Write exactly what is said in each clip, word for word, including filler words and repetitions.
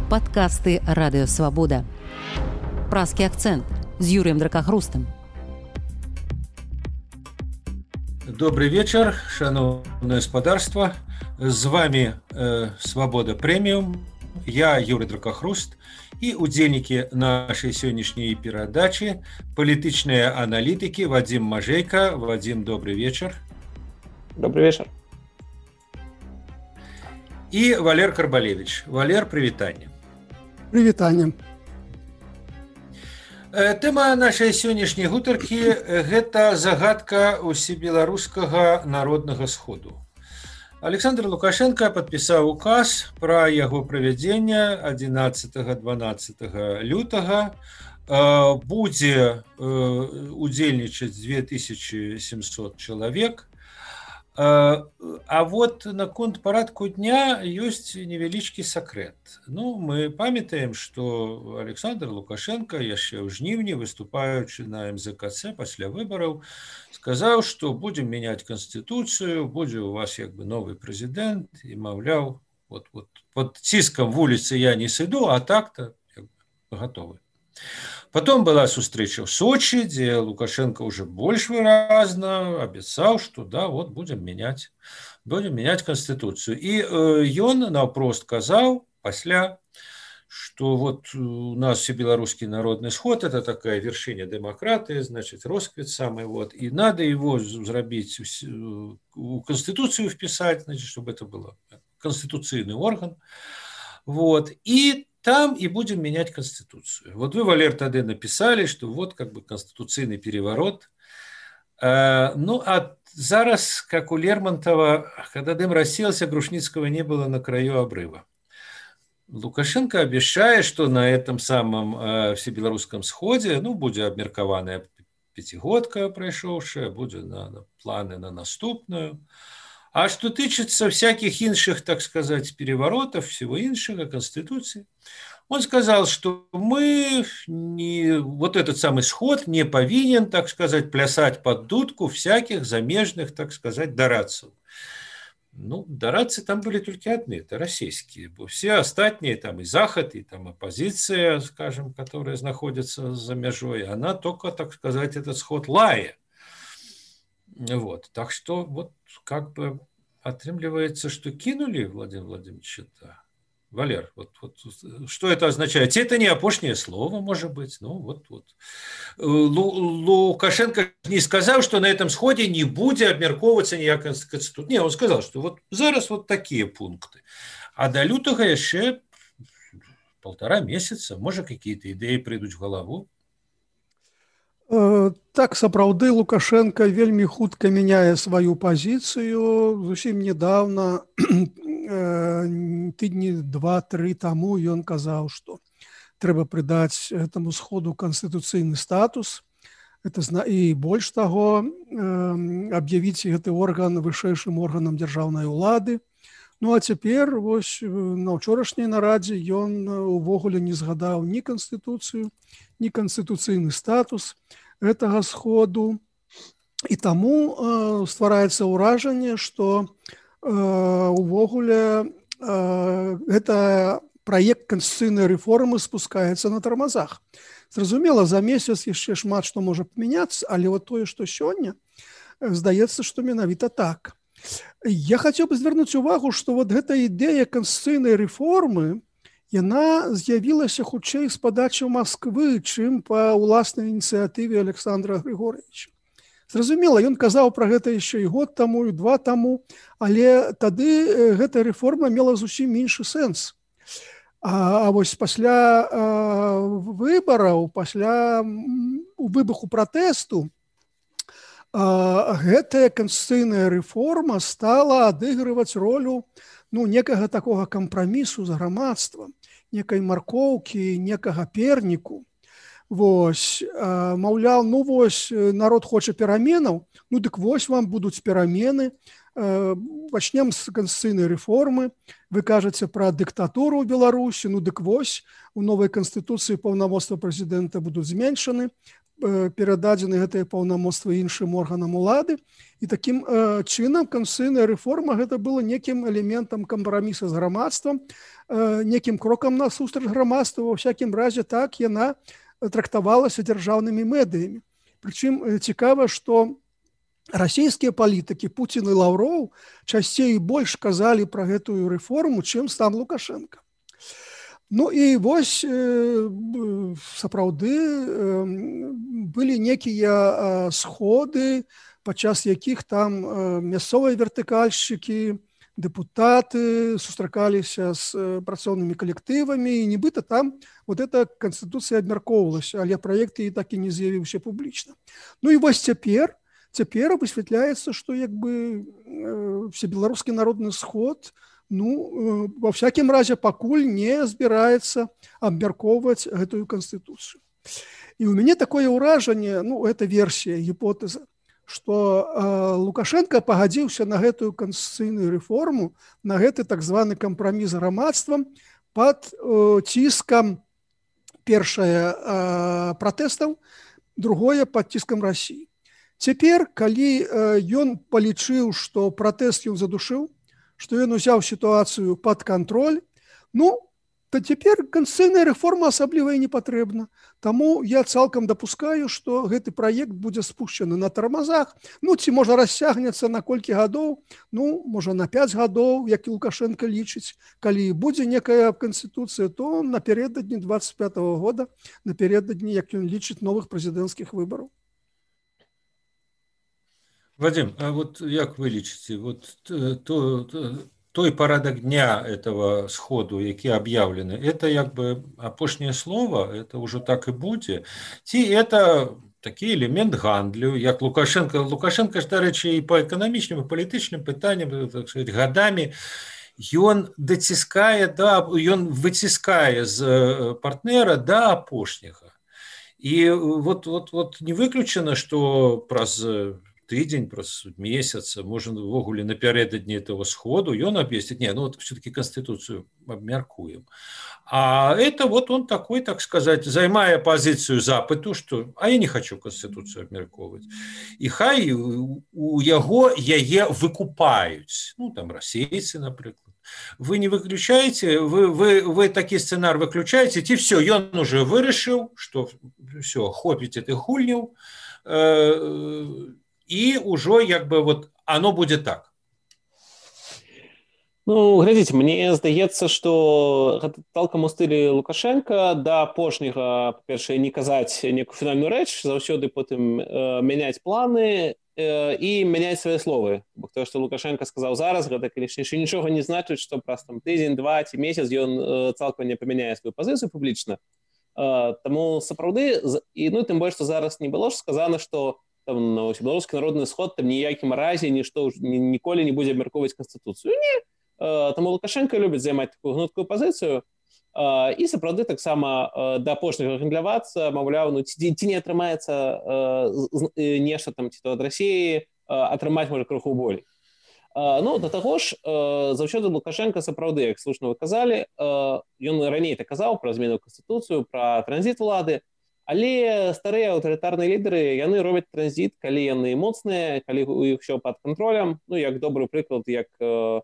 Падкасты Радыёвабода. Празкі акцэнт з Юрыем Дракахрустам. Добрый вечер, шановное господарство. С вами э, Свобода Премиум. Я Юрий Дракахруст и удзельники нашей сегодняшней передачи политичные аналитики Вадим Мажейко. Вадим, добрый вечер. Добрый вечер. И Валер Карбалевич. Валер, привитание. Привитание. Тэма нашай сённяшняй гутаркі – гэта загадка ўсебеларускага народнага сходу. Александр Лукашенко падпісаў указ пра яго правядзенне адзінаццатага-дванаццатага лютага. Будзе удзельнічаць две тысячи семьсот чалавек. А вот наконт парадку дня ёсць невялічкі сакрэт. Ну, мы памятаем, што Александр Лукашенко яшчэ ў жніўні, выступаючы на эм зэ ка цэ пасля выбараў, сказаў, што будзем мяняць канстытуцыю, будзе у вас як бы новы прэзідэнт, і маўляў, вот, вот, под ціскам вуліцы я не сыду, а так-то як бы, гатовы. Потом была сустрэча в Сочи, где Лукашенко уже больше выразно обещал, что да, вот будем менять, будем менять конституцию. И э, он навпрост сказал, после, что вот у нас всебелорусский народный сход, это такая вершина демократии, значит, росквит самый, вот, и надо его зробить, в конституцию вписать, значит, чтобы это был конституционный орган. Вот, и там и будем менять конституцию. Вот вы, Валер, тогда написали, что вот как бы конституционный переворот. А, ну, а зараз, как у Лермонтова, когда дым рассеялся, Грушницкого не было на краю обрыва. Лукашенко обещает, что на этом самом э, всебелорусском сходе, ну, будет обмеркованная пятигодка прошедшая, будет на, на планы на наступную. А что тычется всяких инших, так сказать, переворотов, всего иншего, Конституции, он сказал, что мы, не, вот этот самый сход не повинен, так сказать, плясать под дудку всяких замежных, так сказать, дорадцев. Ну, дорадцы там были только одни, это российские. Все остальные, там и Заход, и там оппозиция, скажем, которая находится за межой, она только, так сказать, этот сход лая. Вот, так что вот как бы отрымливается, что кинули Владимира Владимировича. Валер, вот, вот что это означает? Это не опошнее слово, может быть. Ну вот, вот. Лукашенко не сказал, что на этом сходе не будет обмерковываться никакая конституция. Не, он сказал, что вот зараз вот такие пункты. А до лютого еще полтора месяца, может, какие-то идеи придут в голову. Так, сапраўды, Лукашенко вельмі хутка мяняе сваю пазіцыю. Зусім недавно, тыдні два-тры таму, ён казаў, што трэба прыдаць этому сходу канстытуцыйны статус. Это, і больш таго, аб'явіць гэты орган вышэйшым органам дзяржаўнай улады. Ну, а цяпер, вось, на ўчорашняй нарадзе ён увогуле не згадаў ні канстытуцыю, ні канстытуцыйны статус гэтага сходу. І таму э, ствараецца ўражанне, што э, увогуле э, гэта праект канстытуцыйнай рэформы спускаецца на тармазах. Зразумела, за месяц яшчэ шмат што можа памяняцца, але вот тое, што сёння, здаецца, што менавіта так. Я хацеў бы звярнуць увагу, што вот гэта ідэя канстытуцыйнай рэформы, яна з'явілася хутчэй з падачы Масквы, чым па ўласнай ініцыятыве Александра Григорьевича. Зразумела, ён казаў пра гэта яшчэ і год таму, і два таму, але тады гэта рэформа мела зусім іншы сэнс. А, а вось пасля а, выбараў, пасля выбуху пратэсту, а, гэтая канстытуцыйная рэформа стала адыгрываць ролю ну, некага такога кампрамісу з грамадствам, некай маркоўкі, некага перніку. Вось, а, маўляў, ну вось, народ хоча пераменаў, ну дык вось вам будуць перамены, а, пачнем з канстытуцыйнай рэформы, вы кажаце пра дыктатуру ў Беларусі, ну дык вось, у новай канстытуцыі паўнамоцтва прэзідэнта будуць зменшаны, перададзены гэтыя паўнамоцтвы іншым органам улады. І такім э, чынам канстытуцыйная рэформа гэта было некім элементам кампраміса з грамадствам, э, некім крокам насустрач грамадству. Ва всякім разе так яна трактавалася дзяржаўнымі медыямі. Прычым цікава, што расійскія палітыкі Пуцін і Лаўроў часцей і больш казалі пра гэтую рэформу, чым сам Лукашенко. Ну і вось сапраўды былі некія сходы, падчас якіх там мясцовыя вертыкальшчыкі, дэпутаты сустракаліся з працоўнымі калектывамі, і нібыта там вот эта канстытуцыя абмяркоўвалася, але праект і так і не з'явіўся публічна. Ну і вось цяпер, цяпер высвятляецца, што як бы Всебеларускі народны сход, ну, во всякім разе пакуль не збіраецца абмяркоўваць гэтую канстытуцыю. І ў мяне такое ўражанне, ну, гэта версія, гіпотэза, што э, Лукашенко пагадзіўся на гэтую канстытуцыйную рэформу, на гэты так званы кампраміс з грамадствам пад э, ціскам першае э, пратэстаў, другое пад ціскам Расіі. Цяпер, калі э, ён палічыў, што пратэст ён задушыў, што ён узяў сітуацыю пад кантроль, ну, то цяпер канстытуцыйная рэформа асабліва і не патрэбна. Таму я цалкам дапускаю, што гэты праект будзе спушчаны на тармазах, ну, ці можа расцягнецца на колькі гадоў, ну, можа на пяць гадоў, як і Лукашенко лічыць. Калі будзе некая канстытуцыя, то напярэдадні двадцать пятого года, напярэдадні, як ён лічыць, новых прэзідэнцкіх выбараў. Вадим, а вот як вы лічыце, вот то, то, той парадак дня этого сходу, які объявлены, это як бы апошняе слово, это уже так и будзе, ці это такі элемент гандлю, як Лукашенко, Лукашенко ж, дарэчы, і по эканамічным і палітычным пытанням, так сказать, гадамі, ён даціскае, да, ён выціскае з партнера да апошняга. І вот, вот, вот не выключана, што праз тыдзень, праз месяц, можа, увогуле напярэдадні этого сходу, ён абвесціць, не, ну вот все-таки Конституцию обмяркуем. А это вот он такой, так сказать, займая позицию запыту, что, а я не хочу Конституцию обмярковывать. И хай у яго яе выкупаюць, ну там расейцы, напрыклад. Вы не выключаете, вы, вы, вы такі сцэнар выключаете, и все, ён уже вырашыў, что все, хопіць этих гульняў, э, и уже як бы вот оно будет так. Ну, глядзіце, мне здаецца, што гэта цалкам у стылі Лукашенка да апошняга, па-першае, не казаць некую фінальную рэч, заўсёды потым э, мяняць планы э, і мяняць свае словы. Бо тое, што Лукашенко сказаў зараз, гэта, канешне, яшчэ нічога не значыць, што праз там тыдзень, два ці месяц ён э, цалкам не памяняе сваю пазіцыю публічна. Э, таму сапраўды, і ну тым больш, што зараз не было ж сказана, што там на Всебеларускі народны сход там ніякім разе нішто ніколі не будзе абмяркоўваць Канстытуцыю. Не. Таму Лукашенко любіць займаць такую гнуткую пазіцыю і сапраўды таксама да апошняга гандлявацца, маўляў, ну ці, ці не атрымаецца нешта там ці то ад Расіі атрымаць можа крыху болей. Ну, да таго ж, заўсёды Лукашенко сапраўды, як слушна вы казалі, ён раней так казаў пра змену Канстытуцыю, пра транзіт улады. Але старыя аўтарытарныя лідары, яны робяць транзіт, калі яны моцныя, калі у іх ўсё пад кантролем. Ну, як добры прыклад, як э,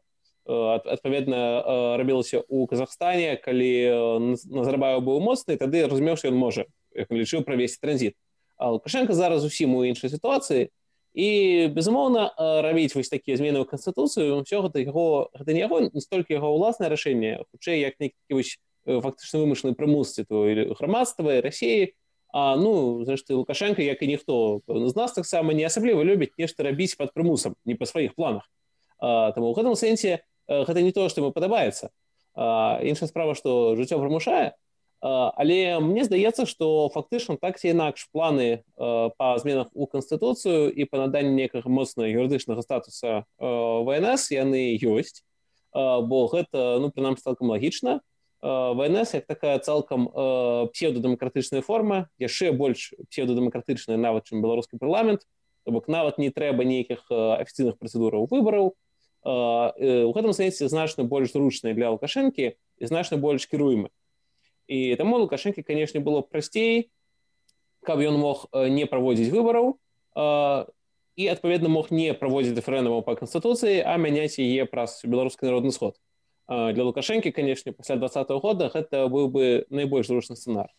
адпаведна э, рабілася ў Казахстане, калі Назарбаев быў моцны, тады разумеў, што ён можа, як лічыў, правесці транзіт. А Лукашенко зараз зусім у іншай сітуацыі. І, безумоўна, рабіць вось такія змены ў Канстытуцыю, ўсё гэта яго, гэта не яго, не столькі яго ўласнае рашэнне, хутчэй як нейкі вось фактычна вымышлены прымус ці то грамадства і Расіі. А, ну, зрэшты, Лукашенко, як і ніхто з нас таксама не асабліва любіць нешта рабіць пад прымусам, не па сваіх планах. А, таму ў гэтым сэнсе гэта не тое, што яму падабаецца. А, іншая справа, што жыццё прымушае, а, але мне здаецца, што фактычна так ці інакш планы а, па зменах у Канстытуцыю і па наданні некага моцнага юрыдычнага статуса ВНС яны ёсць, а, бо гэта, ну, прынамсі, цалкам лагічна. ВНС як такая цалкам э, псевдодэмакратычная форма, яшчэ больш псевдодэмакратычная нават, чым беларускі парламент, то бок нават не трэба нейкіх э, афіцыйных працэдураў выбараў. Э, э, у гэтым сэнсе значна больш зручная для Лукашэнкі і значна больш кіруемы. І таму Лукашэнкі, канешне, было прасцей каб ён мог не праводзіць выбараў і, адпаведна, мог не праводзіць рэферэндумаў па Канстытуцыі, а мяняць яе праз Беларускі народны сход. Для Лукашэнкі, канешне, пасля двадцатага года гэта быў бы найбольш зручны сцэнар.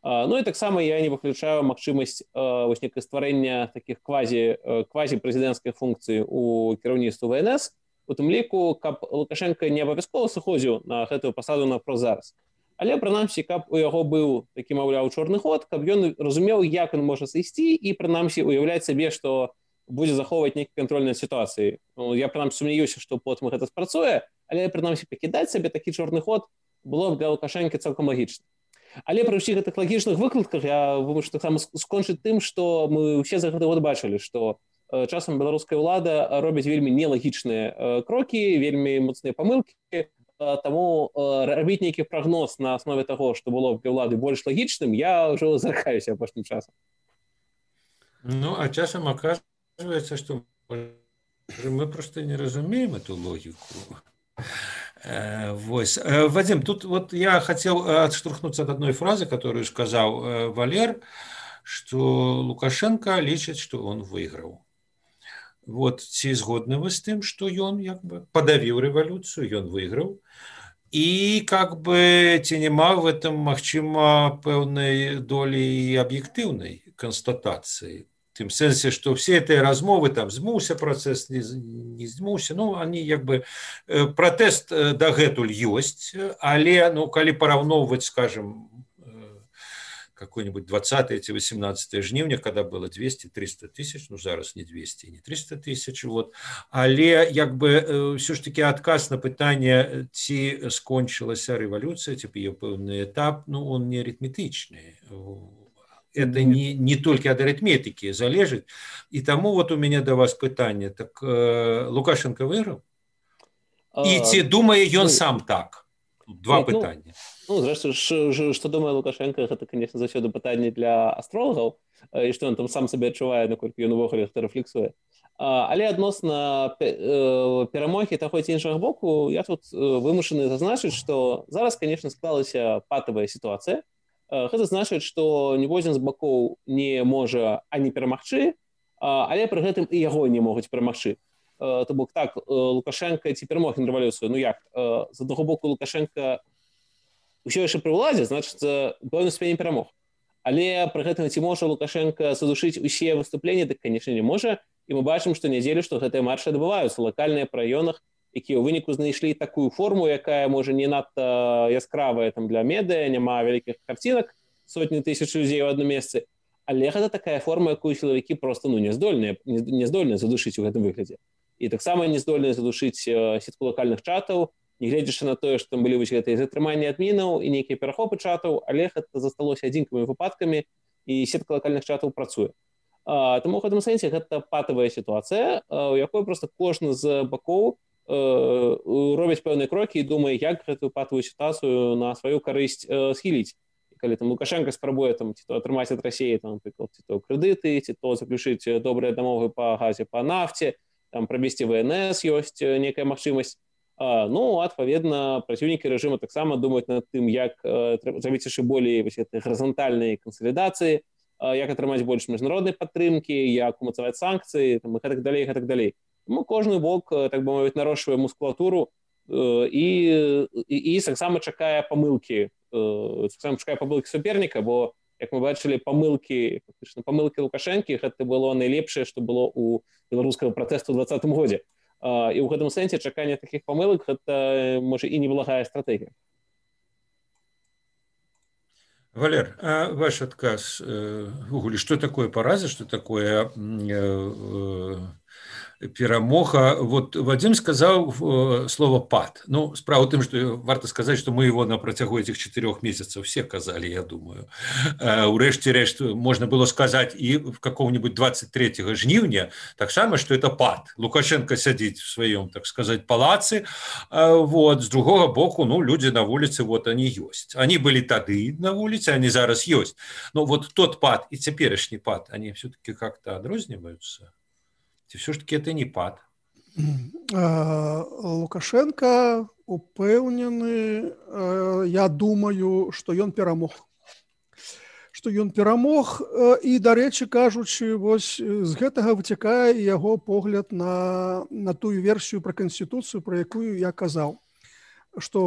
Ну і таксама я не выключаю магчымасць вось некае стварэння такіх квазі квазі-прэзідэнцкай функцыі ў кіраўніцтву вэ эн эс, у тым ліку, каб Лукашенко не абавязкова сыходзіў на гэтую пасаду напрост зараз. Але, прынамсі, каб у яго быў такі, маўляў, чорны ход, каб ён разумеў, як ён можа сысці і, прынамсі, уяўляць сабе, што будзе захоўваць нейкі кантроль над сітуацыяй. Ну, я, прынамсі, сумняваюся, што потым гэта спрацуе, але, прынамсі, пакідаць сабе такі чорны ход было б для Лукашэнкі цалкам лагічна. Але пры ўсіх гэтых лагічных выкладках я вымушаю таксама скончыць тым, што мы ўсе за гэты год бачылі, што часам беларуская ўлада робіць вельмі нелагічныя крокі, вельмі моцныя памылкі, таму рабіць нейкі прагноз на аснове таго, што было для ўлады больш лагічным, я ўжо заракаюся апошнім часам. Ну, а часам оказывается, што мы просто не разумеем эту логику. Вось. Вадим, тут вот я хотел отштурхнуться от одной фразы, которую сказал Валер, что Лукашенко лічыць, что он выиграл. Вот, ці згодны вы з тым, что ён як бы подавіў рэвалюцыю, ён выиграл. И как бы ці няма в этом, магчыма, пэўнай долі аб'ектыўнай констатации. В тым сэнсе, што все гэтыя размовы, там, змуўся працэс, не, не змуўся, ну, они, як бы, пратэст дагэтуль ёсць, але, ну, калі параўноўваць, скажем, какой-нибудь двадцатое ці восемнадцатое жніўня, когда было двести-триста тысяч, ну, зараз не двести, не триста тысяч, вот, але, як бы, все ж таки адказ на пытанне, ці скончылася рэвалюцыя, ці яе пэўны этап, ну, он не арифметычны. Это не, не только от арифметики залежит. И тому вот у меня до вас пытание. Так э, Лукашенко выиграл? И ці думае ён сам так? Два Нет, пытання. Ну, ну зрэшты, што думае Лукашенко, гэта, конечно, заўсёды пытанне для астролагаў, і што ён там сам сабе адчувае, наколькі ён увогуле гэта рэфлексуе. Але адносна перамогі таго ці іншага боку, я тут вымушаны зазначыць, што зараз, конечно, склалася патавая сітуацыя. Гэта значыць, што ніводзін з бакоў не можа ані перамагчы, але пры гэтым і яго не могуць перамагчы. То бок так, Лукашенко ці перамог на рэвалюцыю, ну як? З аднаго боку Лукашенко ўсё яшчэ пры ўладзе, значыцца, пэўны ступені перамог. Але пры гэтым ці можа Лукашенко задушыць усе выступленні, дык, канешне, не можа. І мы бачым, што нядзелю, што гэтыя маршы адбываюцца лакальныя па раёнах, якія ў выніку знайшлі такую форму, якая, можа, не надта яскравая там для медыа, няма вялікіх карцінак, сотні тысяч людзей у адным месцы, але гэта такая форма, якую сілавікі проста, ну, не здольныя, не здольныя задушыць у гэтым выглядзе. І таксама не здольныя задушыць сетку лакальных чатаў, не гледзячы на тое, што там былі вось гэтыя затрыманні адмінаў і нейкія перахопы чатаў, але гэта засталося адзінкавымі выпадкамі, і сетка лакальных чатаў працуе. Таму ў гэтым сэнсе гэта патавая сітуацыя, у якой проста кожны з бакоў робіць пэўныя крокі і думае, як гэтую патавую сітуацыю на сваю карысць схіліць. І калі там Лукашенко спрабуе там ці то атрымаць ад Расіі там, напрыклад, ці то крэдыты, ці то заключыць добрыя дамовы па газе, па нафце, там правесці вэ эн эс ёсць некая магчымасць. Ну, адпаведна, праціўнікі рэжыму таксама думаюць над тым, як зрабіць яшчэ болей вось гэтай гарызантальнай кансалідацыі, як атрымаць больш міжнароднай падтрымкі, як умацаваць санкцыі, там, і гэтак далей, гэтак далей. Тому кожны бок, так бы мовіць, нарошчвае мускулатуру і, і, і таксама чакае памылкі, таксама чакае памылкі суперніка, бо, як мы бачылі, памылкі, фактычна, памылкі Лукашэнкі, гэта было найлепшае, што было ў беларускага пратэсту ў двадцатым годзе. І ў гэтым сэнсе чаканне такіх памылак, гэта, можа, і неблагая стратэгія. Валер, а ваш отказ, увогуле, что такое пораза, что такое перамога? Вот Вадим сказал слово «пад». Ну, справа в том, что варто сказать, что мы его на протягу этих четырех месяцев все казали, я думаю. Урэшце-рэшт можно было сказать и в каком-нибудь двадцать третьего жніўня так само, что это пад. Лукашенко сядзіць в своем, так сказать, палацы. Вот. С другого боку, ну, люди на улице, вот они есть. Они были тады на улице, они зараз есть. Но вот тот пад и цяперашні пад, они все-таки как-то адрозніваюцца. Все ж таки это не пад. Лукашенко упэўнены, я думаю, што ён перамог. што ён перамог, і, дарэчы кажучы, вось з гэтага выцякае яго погляд на, на тую версію пра канстытуцыю, пра якую я казаў, што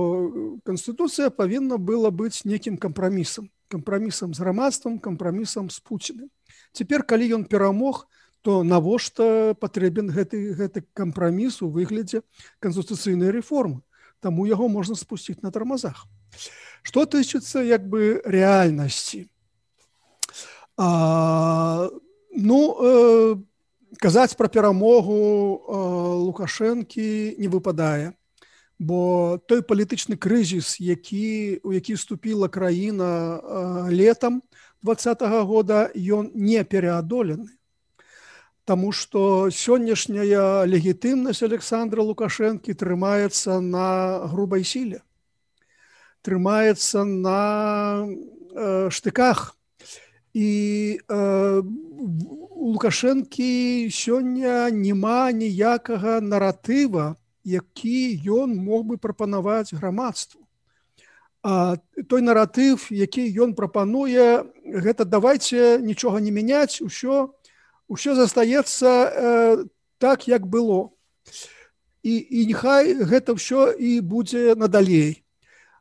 канстытуцыя павінна была быць нейкім кампрамісам, кампрамісам з грамадствам, кампрамісам з Пуціным. Цяпер, калі ён перамог, то навошта патрэбен гэты, гэты кампраміс у выглядзе канстытуцыйнай рэформы? Таму яго можна спусціць на тармазах. Што тычыцца як бы рэальнасці? А, ну, э, казаць пра перамогу э, Лукашэнкі не выпадае, бо той палітычны крызіс, які, у які вступіла краіна э, летам двадцатага года, ён не пераадолены. Таму што сённяшняя легітымнасць Александра Лукашэнкі трымаецца на грубай сіле, трымаецца на э, штыках. І э, у Лукашэнкі сёння няма ніякага наратыва, які ён мог бы прапанаваць грамадству. А той наратыв, які ён прапануе, гэта давайце нічога не мяняць, усё, усё застаецца э, так, як было. І, і няхай гэта ўсё і будзе надалей.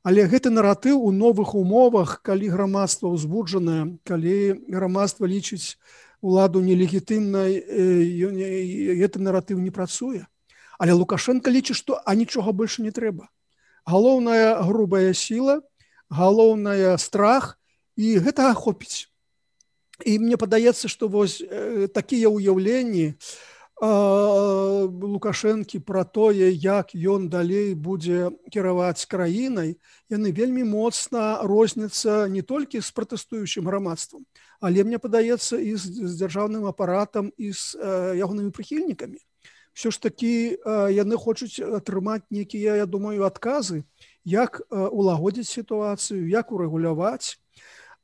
Але гэты наратыў у новых умовах, калі грамадства ўзбуджанае, калі грамадства лічыць уладу нелегітымнай, гэты наратыў не працуе. Але Лукашенко лічыць, што а нічога больше не трэба. Галоўная грубая сіла, галоўная страх, і гэтага хопіць. І мне падаецца, што вось такія ўяўленні Лукашэнкі пра тое, як ён далей будзе кіраваць краінай, яны вельмі моцна розняцца не толькі з пратэстуючым грамадствам, але, мне падаецца, і з, з дзяржаўным апаратам, і з э, ягонымі прыхільнікамі. Все ж такі э, яны хочуць атрымаць нейкія, я думаю, адказы, як э, улагодзіць сітуацыю, як урэгуляваць.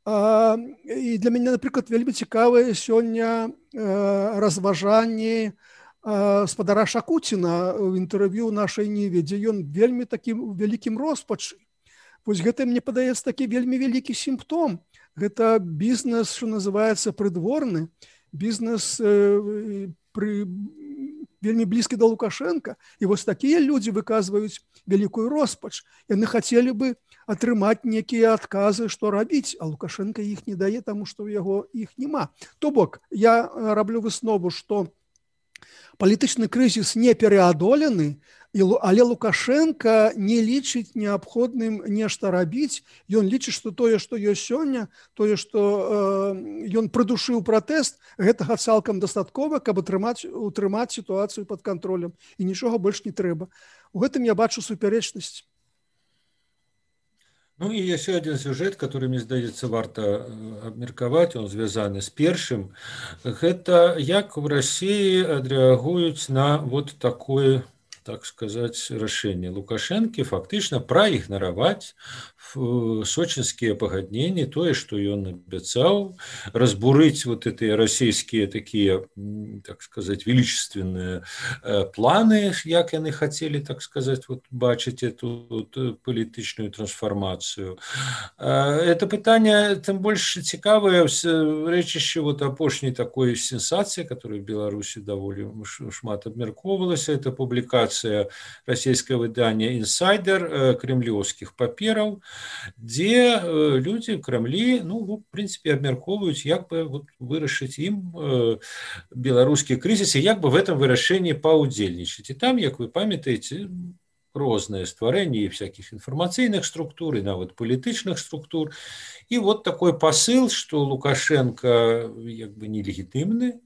Uh, і для мяне, напрыклад, вельмі цікавыя сёння uh, разважанні uh, спадара Шакуціна ў інтэрв'ю нашай Ніве, дзе ён вельмі такім вялікім роспачы. Вось гэта, мне падаецца, такі вельмі вялікі сімптом. Гэта бізнес, што называецца прыдворны, бізнес uh, пры... вельмі блізкі да Лукашэнка. І вось такія людзі выказваюць вялікую роспач. Яны хацелі бы атрымаць некія адказы, што рабіць, а Лукашенко іх не дае, таму што ў яго іх няма. То бок, я раблю выснову, што палітычны крызіс не пераадолены, але Лукашенко не лічыць неабходным нешта рабіць. Ён лічыць, што тое, што ёсць сёння, тое, што э, ён прыдушыў пратэст, гэтага цалкам дастаткова, каб атрымаць, утрымаць сітуацыю пад кантролем. І нічога больш не трэба. У гэтым я бачу супярэчнасць. Ну і яшчэ адзін сюжэт, который, мне здаецца, варта абмеркаваць, он звязаны з першым. Гэта як в России адрэагуюць на вот такое, так сказать, рашэнне Лукашэнкі фактычна праігнараваць сочинские пагадненні, тое, што ён абяцаў, разбурыць вот эти расійскія такие, так сказать, величественные планы, як яны хотели, так сказать, вот бачыць эту вот палітычную трансформацию. Это пытанне тым больш цікавае рэчышча вот апошняй такой сенсацыі, которая в Беларуси даволі шмат абмяркоўвалася, это публікацыя расійскае выдання «Инсайдер» кремлёўскіх папераў, дзе людзі в Крамлі, ну, в прынцыпе, абмяркоўваюць, як бы вот вырашыць ім беларускі крызіс і як бы в этом вырашэнні паўдзельнічаць. І там, як вы памятаеце, розныя стварэнні всяких інфармацыйных структур і нават палітычных структур. І вот такой посыл, што Лукашенко як бы нелегітымны.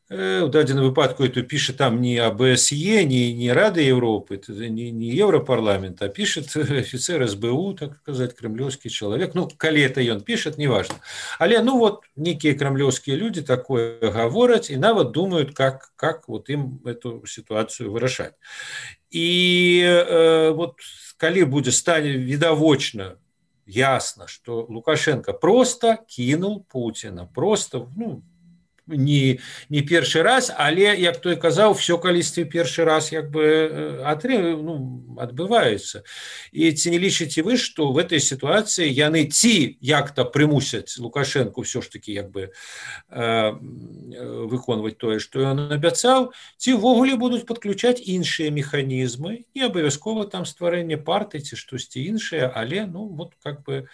В дадзеным выпадку это пишет там не АБСЕ, не, не Рада Европы, не, не Европарламент, а пишет офицер СБУ, так сказать, кремлевский человек. Ну, коли это он пишет, неважно. Але, ну вот, некие кремлевские люди такое говорят и нават думают, как, как вот им эту ситуацию вырашать. И э, вот, коли будет станет видовочно, ясно, что Лукашенко просто кинул Путина, просто, ну, не, не першы раз, але, як той казаў, все калісьці першы раз як бы атры, ну, адбываецца. І ці не лічыце вы, што в этой сітуацыі яны ці як-то прымусяць Лукашенко все ж таки як бы э, выконваць тое, што ён абяцаў, ці ўвогуле будуць падключаць іншыя механізмы, не абавязкова там стварэнне партыі ці штосьці іншае, але, ну, вот как бы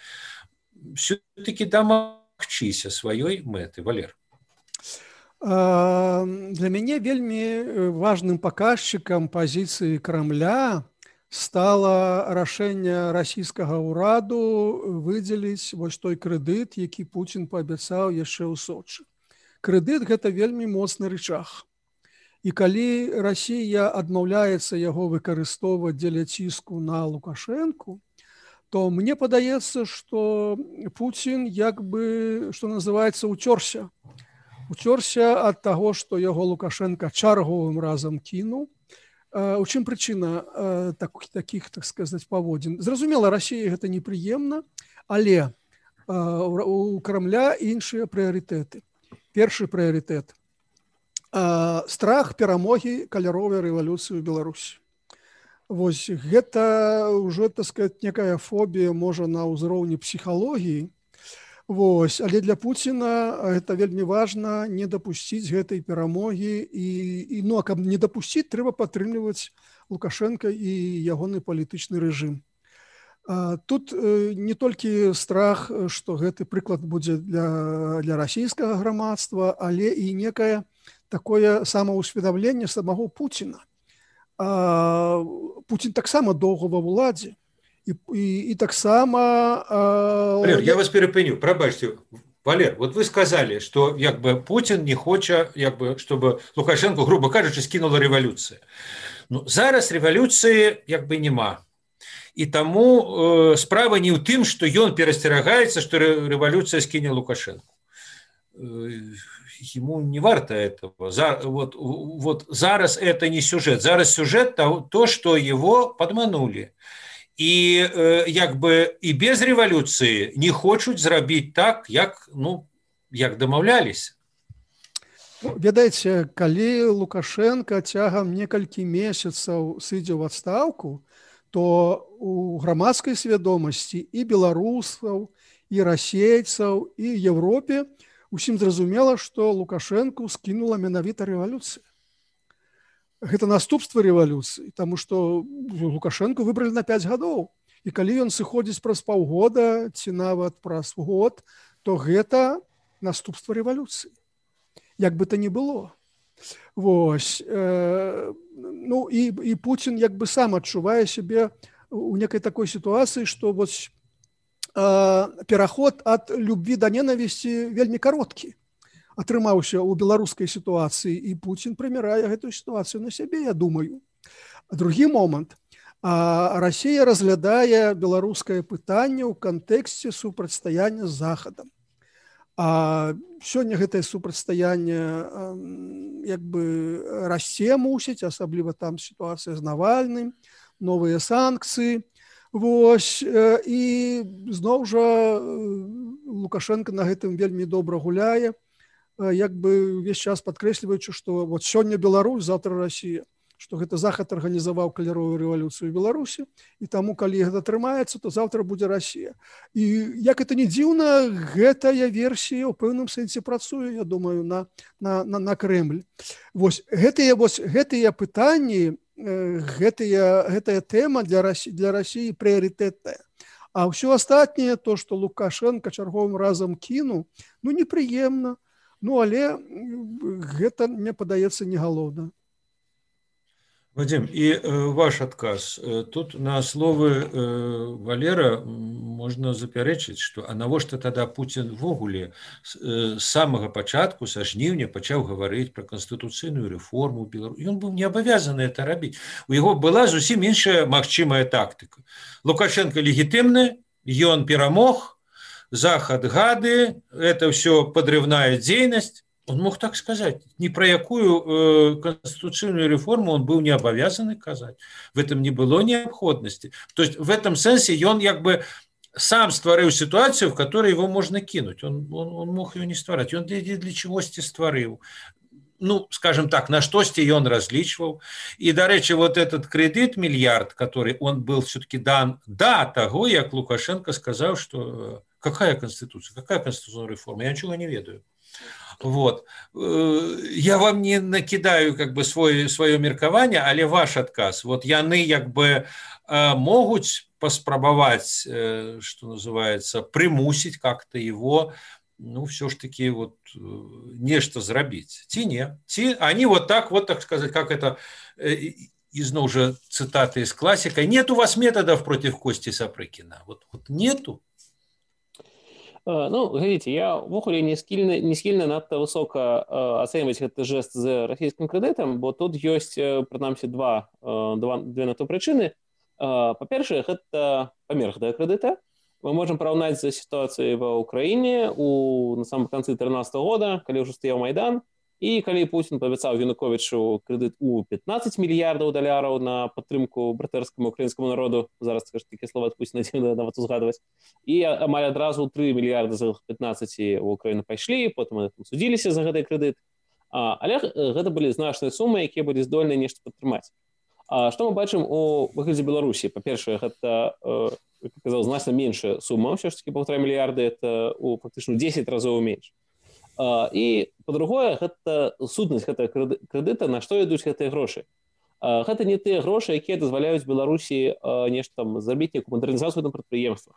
все-таки дамагчыся сваёй мэты. Валер. Для мяне вельмі важным паказчыкам пазіцыі Крамля стала рашэнне расійскага ўраду выдзеліць вось той крэдыт, які Пуцін паабяцаў яшчэ ў Сочы. Крэдыт – гэта вельмі моцны рычаг. І калі Расія адмаўляецца яго выкарыстоўваць дзеля ціску на Лукашэнку, то мне падаецца, што Пуцін як бы, што называецца, уцёрся. Уцёрся ад таго, што яго Лукашенко чарговым разам кінуў. У чым прычына такіх, так сказаць, паводзін? Зразумела, Расіі гэта непрыемна, але у Крамля іншыя прыярытэты. Першы прыярытэт – страх перамогі каляровай рэвалюцыі ў Беларусі. Вось гэта ўжо, так сказаць, некая фобія, можа, на ўзроўні псіхалогіі. Вось, але для Пуціна гэта вельмі важна не дапусціць гэтай перамогі і, і ну, а каб не дапусціць, трэба падтрымліваць Лукашенка і ягоны палітычны рэжым. А, тут э, не толькі страх, што гэты прыклад будзе для, для расійскага грамадства, але і некае такое самаўсведамленне самого Пуціна. А, Пуцін таксама доўга ва ўладзе. І, і, і таксама... А... Валер, я вас перепыню, прабачьте. Валер, вот вы сказали, что як бы Путин не хоча, як бы, чтобы Лукашенко, грубо кажучи, скинула революция. Ну, зараз революции як бы нема. І таму э, справа не ў тым, што ён перасцерагаецца, што рэвалюцыя скіне Лукашенко. Э, ему не варто этого. За, вот, вот зараз это не сюжет. Зараз сюжет то, то что его подманули. І як бы і без рэвалюцыі не хочуць зрабіць так, як, ну, як дамаўляліся. Ведаеце, калі Лукашенко цягам некалькі месяцаў сыдзе ў адстаўку, то у грамадскай свядомасці і беларусаў, і расейцаў, і Европе усім зразумела, што Лукашенко скінула менавіта рэвалюцыя. Гэта наступства рэвалюцыі, таму што Лукашенко выбралі на пяць гадоў. І калі ён сыходзіць праз паўгода ці нават праз год, то гэта наступства рэвалюцыі. Як бы то ні было. Вось. Э, ну і, і Пуцін як бы сам адчувае сябе у некай такой сітуацыі, што вось э, пераход ад любві да ненавісці вельмі кароткі атрымаўся ў беларускай сітуацыі, і Пуцін прымірае гэтую сітуацыю на сябе, я думаю. А другі момант. А Расія разглядае беларускае пытанне ў кантэксце супрацьстаяння з Захадам. А сёння гэтае супрацьстаянне як бы расце мусіць, асабліва там сітуацыя з Навальным, новыя санкцыі. Вось, і зноў жа Лукашенко на гэтым вельмі добра гуляе, як бы увесь час падкрэсліваючы, што вот сёння Беларусь, завтра Расія, што гэта Захад арганізаваў каляровую рэвалюцыю ў Беларусі, і таму, калі гэта атрымаецца, то завтра будзе Расія. І як это не дзіўна, гэтая версія ў пэўным сэнсе працуе, я думаю, на, на, на, на Крэмль. Вось гэтыя, вось, гэтыя пытанні, гэтыя, гэтая тэма для Расіі, для Расіі прыярытэтная. А ўсё астатняе, то, што Лукашенко чарговым разам кінуў, ну, непрыемна. Ну, але гэта, мне падаецца, не галоўна. Вадим, і э, ваш адказ. Тут на словы э, Валера можна запярэчыць, што а навошта тада Пуцін ввогуле з э, самага пачатку, са жніўня, пачаў гаварыць пра канстытуцыйную рэформу ў Беларусі. Ён быў не абавязаны это рабіць. У яго была зусім іншая магчымая тактыка. Лукашенко легітымны, ён перамог, Захад гады, это все подрывная деятельность. Он мог так сказать. Ни про якую э, конституционную реформу он был не обязан казать. В этом не было необходимости. То есть в этом сенсе он как бы сам стварыў ситуацию, в которой его можно кинуть. Он, он, он мог ее не ствараць. Он для, для чегосьці стварыў. Ну, скажем так, на штосьці ён разлічваў. И, дарэчы, вот этот кредит миллиард, который он был все-таки дан до того, як Лукашенко сказал, что какая конституция, какая конституционная реформа, я ничего не ведаю. Вот. Я вам не накидаю как бы свой, свое меркаванне, але ваш адказ. Вот яны как бы могуць паспрабаваць, что называется, примусить как-то его, ну, все ж таки вот нечто зрабіць. Ці не? Ці они вот так, вот так сказать, как это, изноў же цитаты из классика, нет у вас методов против Кости Сапрыкіна. Вот, вот нету. Ну, глядзіце, я ўвогуле не схільны, не схільны надта высока э, ацэньваць гэты жэст з расійскім крэдытам, бо тут ёсць, прынамсі, два, э, два, две на то прычыны. Э, па-першае, гэта памер гэтага крэдыта. Мы можам параўнаць з сітуацыяй ва Ўкраіне у, на самом канцы трынаццатага года, калі ўжо стаяў Майдан, і калі Путін паабяцаў Януковічу крэдыт у пятнаццаць мільярдаў даляраў на падтрымку братэрскаму украінскаму народу, зараз такі слова ад Пуціна дзіўна нават узгадваць, і амаль адразу тры мільярды з пятнаццаці ў Украіну пайшлі, потым судзіліся за гэты крэдыт, а, але гэта былі значныя сумы, якія былі здольныя нешта падтрымаць. А што мы бачым у выглядзе Беларусі? Па-першае, гэта, як я казаў, значна меншая сума, ўсё ж такі паўтара мільярды, это у фактычна дзесяць разоў менш. Uh, і, па-другое, гэта сутнасць гэтага крэдыта, на што ідуць гэтыя грошы. Uh, гэта не тыя грошы, якія дазваляюць Беларусі uh, нешта там зрабіць некую мадэрнізацыю на прадпрыемствах,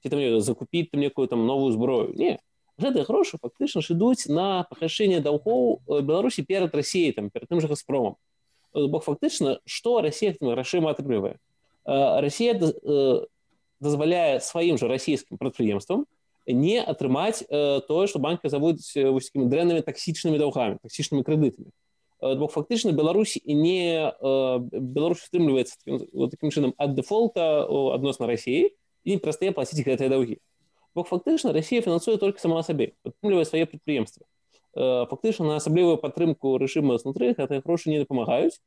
ці там закупіць там некую там новую зброю. Не, гэтыя грошы фактычна ж ідуць на пагашэнне даўгоў Беларусі перад Расіяй, там, перад тым жа Газпромам. Бо фактычна, што Расія гэтымі грашыма атрымлівае? Uh, Расія uh, дазваляе сваім жа расійскім прадпрыемствам не атрымаць э, тое, што банкі заводзяць э, такімі дрэннымі таксічнымі даўгамі, таксічнымі крэдытамі. Э, бо фактычна Беларусь не э, Беларусь стрымліваецца такім, такім чынам ад дэфолта адносна Расіі і не перастае плаціць гэтыя даўгі. Бо фактычна Расія фінансуе толькі сама сабе, падтрымлівае свае прадпрыемствы. Э, фактычна на асаблівую падтрымку рэжыма знутры гэтыя грошы не дапамагаюць.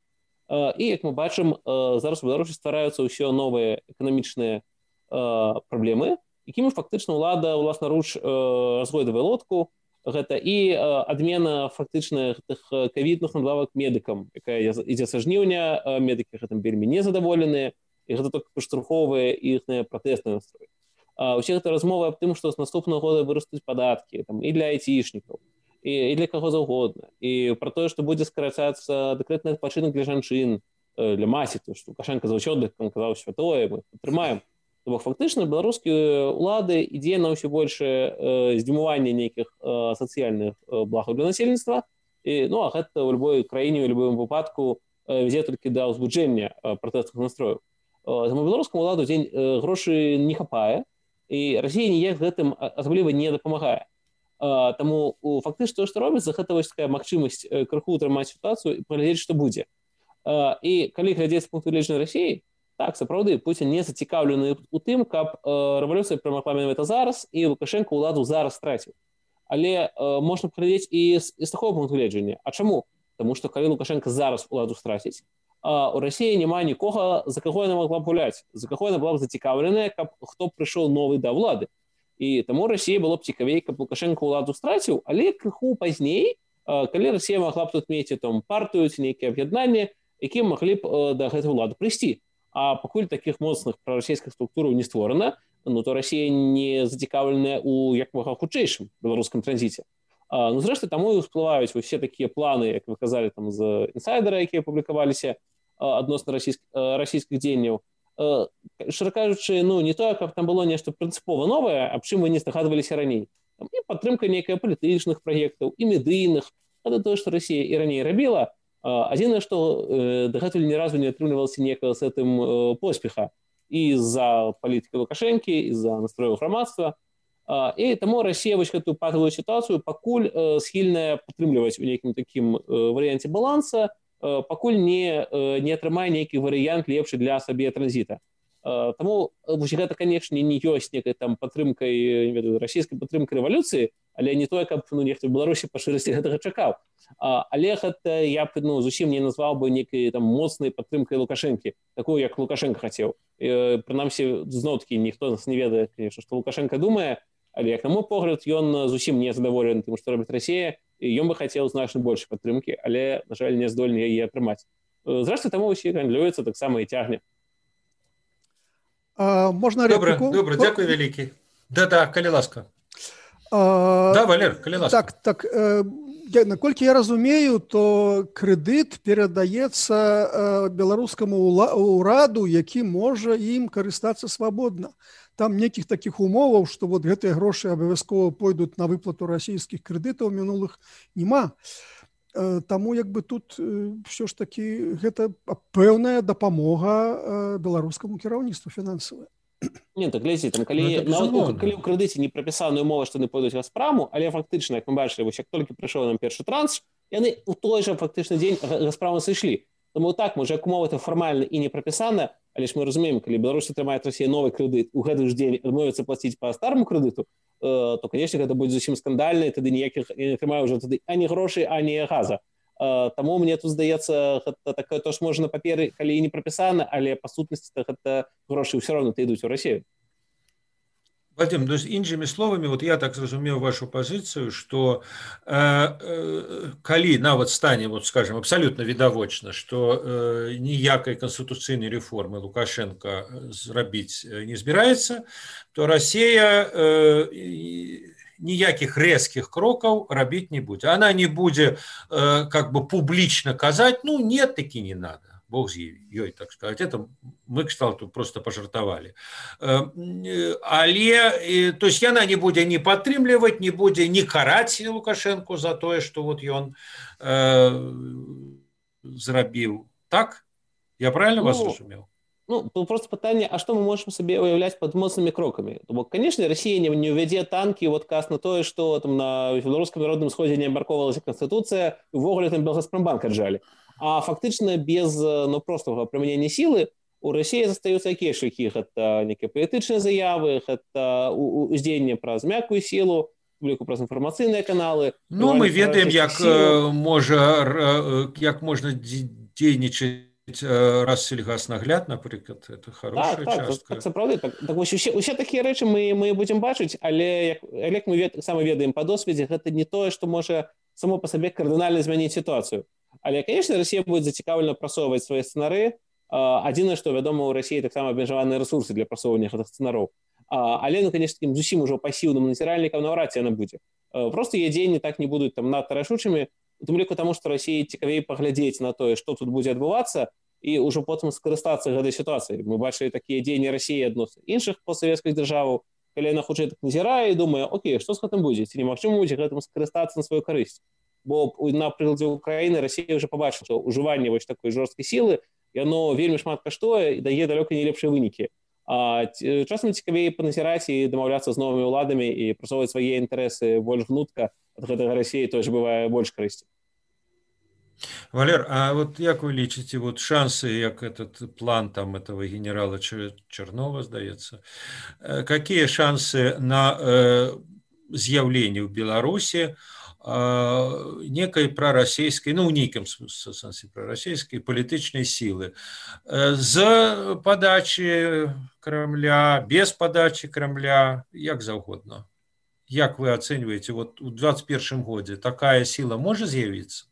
Э, і як мы бачым, э, зараз у Беларусі ствараюцца ўсё новыя эканамічныя э, праблемы, якімі фактычна ўлада ўласнаруч э, разгойдавае лодку. Гэта і э, адмена фактычна гэтых ковідных надбавак медыкам, якая ідзе са жніўня, э, медыкі гэтым вельмі незадаволеныя, і гэта толькі падштурхоўвае іхныя пратэсныя настроі. А ўсе гэта размовы аб тым, што з наступнага года вырастуць падаткі там, і для айцішнікаў, і, і для каго заўгодна, і пра тое, што будзе скарачацца дэкрэтны адпачынак для жанчын, э, для маці, то што Лукашенко заўсёды казаў святое, мы падтрымаем. Бо фактычна беларускія ўлады ідзе на ўсё большее э, здзімуванне нейкіх э, сацыяльных э, благаў для насельніцтва. І, ну, а гэта ў любой краіне, ў любым выпадку э, вядзе толькі да ўзбуджэння э, пратэстных настрояў. Э, таму беларускаму ўладу дзень э, грошы не хапае, і Расія ніяк гэтым асабліва не дапамагае. Э, таму фактычна што робіцца, гэта вось такая магчымасць э, крыху ўтрымаць сітуацыю і паглядзець, што будзе. Э, і калі глядзець з пункту гледжання Расіі, так, сапраўды, Пуцін не зацікаўлены ў тым, каб э, рэвалюцыя перамагла менавіта зараз і Лукашенко ўладу зараз страціў. Але э, можна паглядзець і з, і з такого пункту гледжання. А чаму? Таму што калі Лукашенко зараз уладу страціць, а у Расіі няма нікога, за каго яна могла б гуляць, за каго яна была б зацікаўленая, каб хто прыйшоў новы да ўлады. І таму Расіі было б цікавей, каб Лукашенко ўладу страціў, але крыху пазней, э, калі Расія магла б тут мець там партыю ці нейкія аб'яднанні, якія маглі б э, да гэтай улады прыйсці. А пакуль такіх моцных прарасійскіх структураў не створана, ну, то Расія не зацікаўленая ў як мага хутчэйшым беларускім транзіце. А, ну, зрэшты, таму і ўсплываюць усе такія планы, як вы казалі, там, з інсайдера, якія публікаваліся адносна расійскіх, расійскіх дзеянняў. Шчыра кажучы, ну, не тое, каб там было нешта прынцыпова новае, аб чым вы не здагадваліся раней. Там і падтрымка нейкая палітычных праектаў, і медыйных. Гэта тое, што Расія і раней рабіла. Адзінае, што э, дагэтуль ні разу не атрымлівалася некага з гэтым э, поспеха і з-за палітыкі Лукашэнкі, і з-за настрояў грамадства. А, і таму Расія вось гэтую патавую сітуацыю пакуль э, схільная падтрымліваць у нейкім такім э, варыянце баланса, э, пакуль не, э, не атрымае нейкі варыянт лепшы для сабе транзіта. Э, таму вось гэта, канечне, не ёсць некай там падтрымкай, не ведаю, расійскай падтрымкай рэвалюцыі, але не тое, каб ну, нехта ў Беларусі па шчырасці гэтага чакаў. А, але гэта я б ну, зусім не назваў бы нейкай там моцнай падтрымкай Лукашэнкі, такую, як Лукашенко хацеў. І, прынамсі, зноў-такі ніхто нас не ведае, конечно, што Лукашенко думае, але, як на мой погляд, ён зусім не задаволены тым, што робіць Расія, і ён бы хацеў значна больш падтрымкі, але, на жаль, не здольны яе атрымаць. Зрэшты, таму ўсе гандлююцца, таксама і цягне. А, можна репліку? Добре, добре, дякую вялікі. Да-да, калі ласка. А, да, Валер, калі ласка. Так, так, э, я, наколькі я разумею, то крэдыт перадаецца э, беларускаму ўраду, які можа ім карыстацца свабодна. Там нейкіх такіх умоваў, што вот гэтыя грошы абавязкова пойдуць на выплату расійскіх крэдытаў мінулых няма. Э, таму як бы тут э, ўсё ж такі гэта пэўная дапамога э, беларускаму кіраўніцтву фінансавай. Не, так глядзі, там, калі, ну, на, калі ў крэдыце не прапісаная умова, што яны пойдуць Газпраму, але фактычна, як мы бачылі, вось як толькі прыйшоў нам першы транш, яны ў той жа фактычны дзень Газпраму сышлі. Таму так, можа, як умова это фармальна і не прапісана, але ж мы разумеем, калі Беларусь атрымае Расія новы крэдыт, у гэты ж дзень адмовіцца плаціць па старому крэдыту, э, то, канешне, гэта будзе зусім скандальна, і тады ніякіх не атрымае ўжо тады ані грошай, ані газа. Таму мне тут здаецца, гэта такое то ж можа на паперы, калі і не прапісана, але па сутнасці гэта грошы ўсё роўна ідуць у Расію. Вадим, то есть іншымі словамі, вот я так зразумеў вашу пазіцыю, што э, э, калі нават стане, вот скажем, абсалютна відавочна, што э, ніякай канстытуцыйнай рэформы Лукашенко зрабіць не збіраецца, то Расія э, ніякіх рэзкіх крокаў рабіць не будзе. Она не будзе э, как бы публічна казаць, ну нет, такі не надо. Бог з ёй, так сказать. Это мы, кстати, просто пожартовали. Але, то есть, яна не будзе не падтрымліваць, не будзе не караць Лукашенко за тое, што вот ён э, зрабіў. Так? Я правильно ну, вас разумеў? Ну, просто пытанне, а што мы можам сабе уяўляць пад моцнымі крокамі? Бо, канешне, Расія не, не ўвядзе танкі в адказ на тое, што там на беларускам народным сходзе не абмяркоўвалася Канстытуцыя, увогуле там Белгазпромбанк аджалі. А фактычна без ну, простага прымянення сілы у Расіі застаюцца якія шляхі? Гэта нейкія палітычныя заявы, гэта уздзеянне праз мяккую сілу, публіку праз інфармацыйныя каналы. Ну, мы ведаем, як можа, як можна дзейнічаць Россельгазнагляд, напрыклад, это хорошая так, так, частка. Так, сапраўды, так, так вось усе, усе такія рэчы мы, мы будзем бачыць, але як, як мы вед, сама ведаем па досведзе, гэта не тое, што можа само па сабе кардынальна змяніць сітуацыю. Але, конечно, Расія будзе зацікаўлена прасоўваць свае сцэнары. Адзінае, што, вядома, у Расіі таксама абмежаваныя рэсурсы для прасоўвання гэтых сцэнароў. Але, ну, конечно, такім зусім ужо пасіўным назіральнікам наўрад ці яна будзе. Просто яе дзеянні так не будуць там надта рашучымі, у тым ліку таму, што Расіі цікавей паглядзець на тое, што тут будзе адбывацца, і ўжо потым скарыстацца гэтай сітуацыяй. Мы бачылі такія дзеянні Расіі адносна іншых постсавецкіх дзяржаваў, калі яна хутчэй так назірае і думае, окей, што з гэтым будзе? Ці немагчыма будзе гэтым скарыстацца на сваю карысць? Бо на прыкладзе Украіны Расія ўжо пабачыла, што ўжыванне вось такой жорсткай сілы, яно вельмі шмат каштуе і дае далёка не лепшыя вынікі. А часам цікавей паназіраць і дамаўляцца з новымі ўладамі і прасоўваць свае інтарэсы больш гнутка, ад гэтага Расіі той ж бывае больш карысці. Валер, а вот як вы лічыце, вот шансы, як этот план там этого генерала Чернова, сдается, какие шансы на э, з'яўленне ў Беларуси э, некой пророссийской, ну, в неком смысле пророссийской палітычнай силы э, з подачи Кремля, без подачи Кремля, як заўгодна. Як вы оцениваете, вот у двадцать первом годзе такая сила может з'явіцца?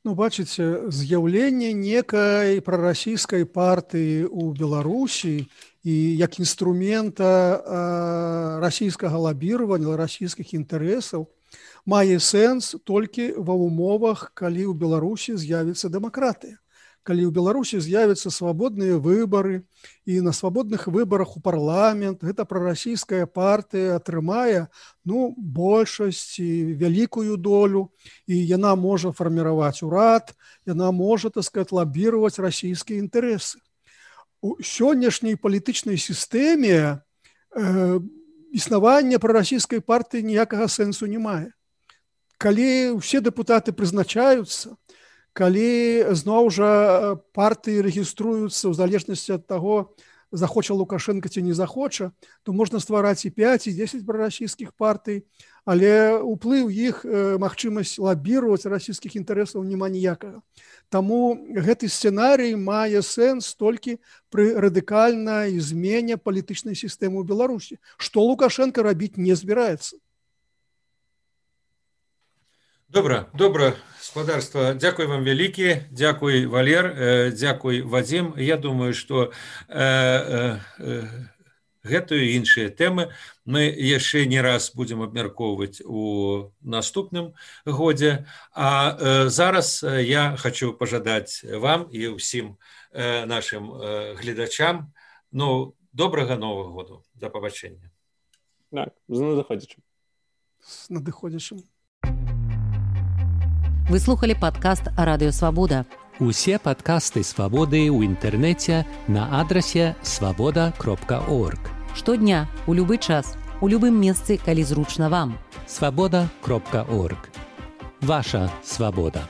Ну, бачыце, з'яўленне некай прарасійскай партыі ў Беларусі і як інструмента э, расійскага лабіравання, расійскіх інтарэсаў мае сэнс толькі ва ўмовах, калі ў Беларусі з'явіцца дэмакратыя. Калі ў Беларусі з'явяцца свабодныя выбары і на свабодных выбарах у парламент гэта прарасійская партыя атрымае ну, большасць і вялікую долю, і яна можа фарміраваць урад, яна можа, так сказать, лабіраваць расійскія інтарэсы. У сённяшняй палітычнай сістэме э, існаванне прарасійскай партыі ніякага сэнсу не мае. Калі ўсе дэпутаты прызначаюцца, калі зноў жа партыі рэгіструюцца ў залежнасці ад таго, захоча Лукашенко ці не захоча, то можна ствараць і пяць, і дзесяць прарасійскіх партый, але ўплыў іх, магчымасць лабіраваць расійскіх інтарэсаў няма ніякага. Таму гэты сцэнарый мае сэнс толькі пры радыкальнай змене палітычнай сістэмы ў Беларусі, што Лукашенко рабіць не збіраецца. Добра, добра, спадарства, дзякуй вам вялікі, дзякуй, Валер, дзякуй, Вадзім. Я думаю, што э, э, гэтую і іншыя тэмы мы яшчэ не раз будзем абмяркоўваць у наступным годзе. А э, зараз я хочу пажадаць вам і ўсім э, нашым э, гледачам, ну, добрага Новага году. Да пабачэння. Так, з надыходзячым. З надыходзячым. Вы слухали падкаст Радыё Свабода. Усе падкасты Свабоды ў інтэрнэце на адрасе свабода кропка орг. Штодня, у любы час, у любым месцы, калі зручна вам. свабода кропка орг. Ваша свабода.